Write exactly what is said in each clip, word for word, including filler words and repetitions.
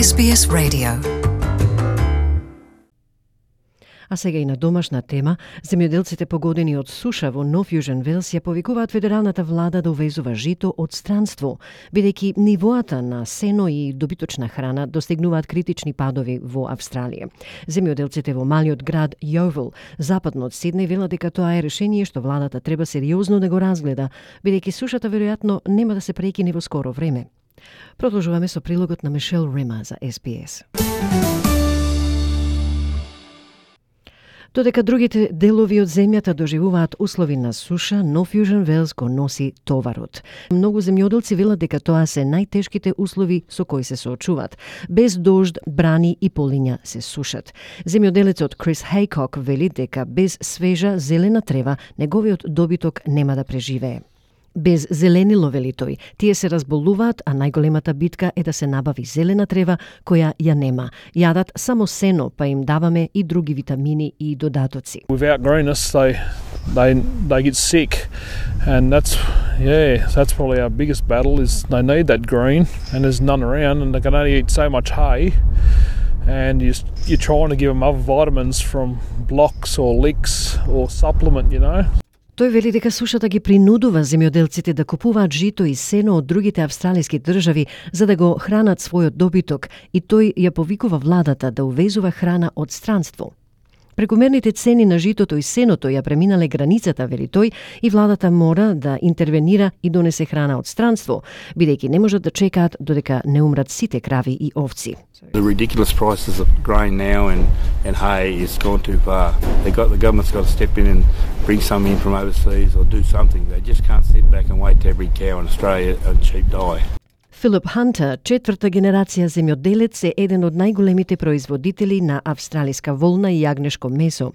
Ес Би Ес Radio. А сега и на домашна тема, земјоделците погодени од суша во Нов Јужен Велс ја повикуваат федералната влада да увезува жито од странство, бидејќи нивоата на сено и добиточна храна достигнуваат критични падови во Австралија. Земјоделците во малиот град Јовел, западно од Сиднеј, велат дека тоа е решение што владата треба сериозно да го разгледа, бидејќи сушата веројатно нема да се прекине во скоро време. Продолжуваме со прилогот на Мишел Рима за Ес Би Ес. Додека другите делови од земјата доживуваат услови на суша, Нов Јужен Велс го носи товарот. Многу земјоделци велат дека тоа се најтешките услови со кои се соочуваат. Без дожд, брани и полиња се сушат. Земјоделецот Крис Хейкок вели дека без свежа зелена трева неговиот добиток нема да преживее. Без зеленило, вели тој, тие се разболуваат, а најголемата битка е да се набави зелена трева која ја нема. Јадат само сено, па им даваме и други витамини и додатоци. Without greenness, they they they get sick, and that's yeah, that's probably our biggest battle is they need that green, and there's none around, and they can only eat so much hay, and you you're trying to give them other vitamins from blocks or licks or supplement, you know. Тој вели дека сушата ги принудува земјоделците да купуваат жито и сено од другите австралиски држави за да го хранат својот добиток и тој ја повикува владата да увезува храна од странство. Прекомерните цени на житото и сеното ја преминале границата, вели тој, и владата мора да интервенира и донесе храна од странство, бидејќи не можат да чекаат додека не умрат сите крави и овци. The ridiculous prices of grain now and, and hay is gone too far. They got the government's got to step in and bring some in from overseas or do something. They just can't sit back and wait to every cow in Australia a cheap die. Филип Хантер, четврта генерација земјоделец, е еден од најголемите производители на австралиска волна и јагнешко месо.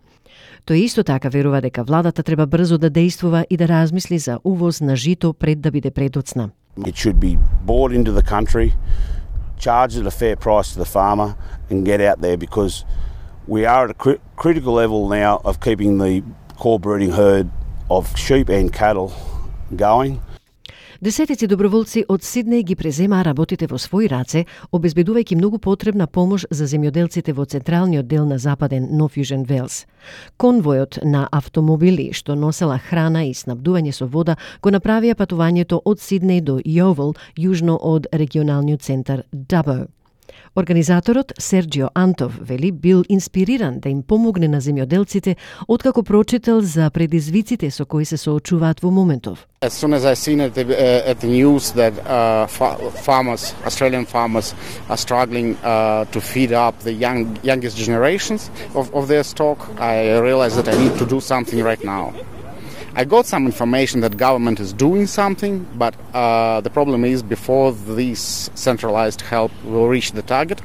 Тој исто така верува дека владата треба брзо да действува и да размисли за увоз на жито пред да биде предоцна. It should be bought into the country, charged at a fair price to the farmer and get out there because we are at a cri- critical level now of keeping the core breeding herd of sheep and cattle going. Десетици доброволци од Сиднеј ги преземаа работите во своји раце, обезбедувајќи многу потребна помош за земјоделците во централниот дел на западен Нов Јужен Велс. Конвојот на автомобили што носела храна и снабдување со вода го направија патувањето од Сиднеј до Јовел, јужно од регионалниот центар Дабо. Организаторот Серджио Антов вели бил инспириран да им помогне на земјоделците откако прочитал за предизвиците со кои се соочуваат во моментов. As soon as I seen at the, uh, at the news that uh, fa- farmers, Australian farmers, are struggling uh, to feed up the young youngest generations of, of their stock, I realized that I need to do something right now. I got some information that government is doing something, but uh, the problem is before this centralized help will reach the target,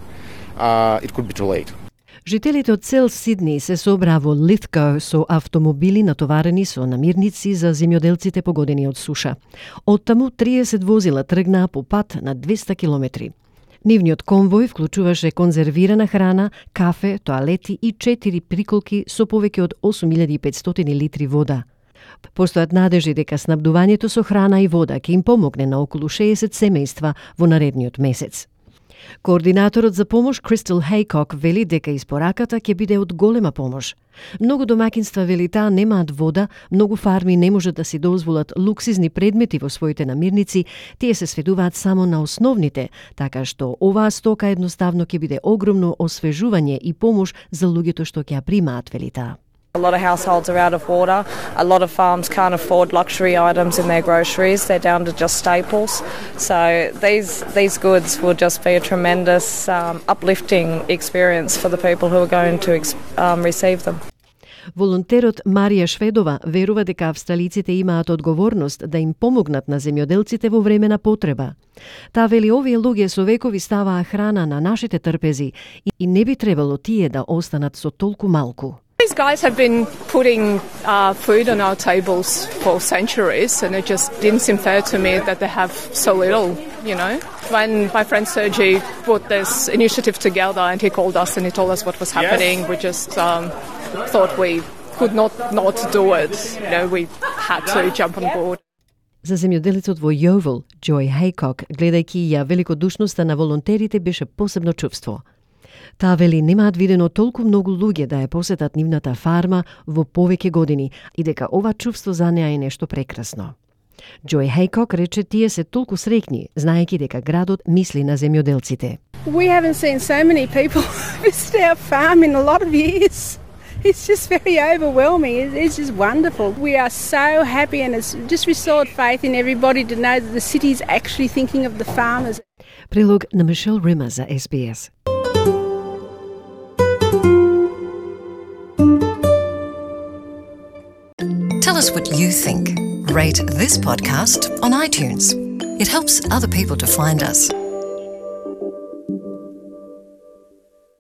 uh, it could be too late. Жителите од цел Сиднеј се собраа во Литго со автомобили натоварени со намирници за земјоделците погодени од суша. Оттаму триесет возила тргнаа по пат на двеста километри. Нивниот конвој вклучуваше конзервирана храна, кафе, тоалети и четири приколки со повеќе од осум илјади и петстотини литри вода. Постојат надежи дека снабдувањето со храна и вода ќе им помогне на околу шеесет семејства во наредниот месец. Координаторот за помош Кристал Хейкок вели дека испораката ќе биде од голема помош. Многу домакинства, вели таа, немаат вода, многу фарми не можат да си дозволат луксизни предмети во своите намирници, тие се сведуваат само на основните, така што оваа стока едноставно ќе биде огромно освежување и помош за луѓето што ќе ја примаат, вели таа. A lot of households are out of water. A lot of farms can't afford luxury items in their groceries. They're down to just staples. So these these goods will just be a tremendous um, uplifting experience for the people who are going to um, receive them. Волонтерот Марија Шведова верува дека австралиците имаат одговорност да им помогнат на земјоделците во време на потреба. Таа вели овие луѓе со векови ставаа храна на нашите трпези и не би требало тие да останат со толку малку. These guys have been putting uh, food on our tables for centuries, and it just didn't seem fair to me that they have so little, you know. When my friend Sergi put this initiative together and he called us and he told us what was happening, yes. we just um, thought we could not not do it. You know, we had to jump on board. За земјоделецот во Yeovil, Joy Haycock, гледајќи ја великодушноста на волонтерите, беше посебно чувство. Таа вели немаат видено толку многу луѓе да ја посетат нивната фарма во повеќе години и дека ова чувство за неа е нешто прекрасно. Joy Haycock рече тие се толку среќни, знаејќи дека градот мисли на земјоделците. We haven't seen so many people visit our farm in a lot of years. It's just very overwhelming. It's just wonderful. We are so happy, and it's just restored faith in everybody to know that the city is actually thinking of the farmers. Прилог на Мишел Рима за С Б С. Tell us what you think. Rate this podcast on iTunes. It helps other people to find us.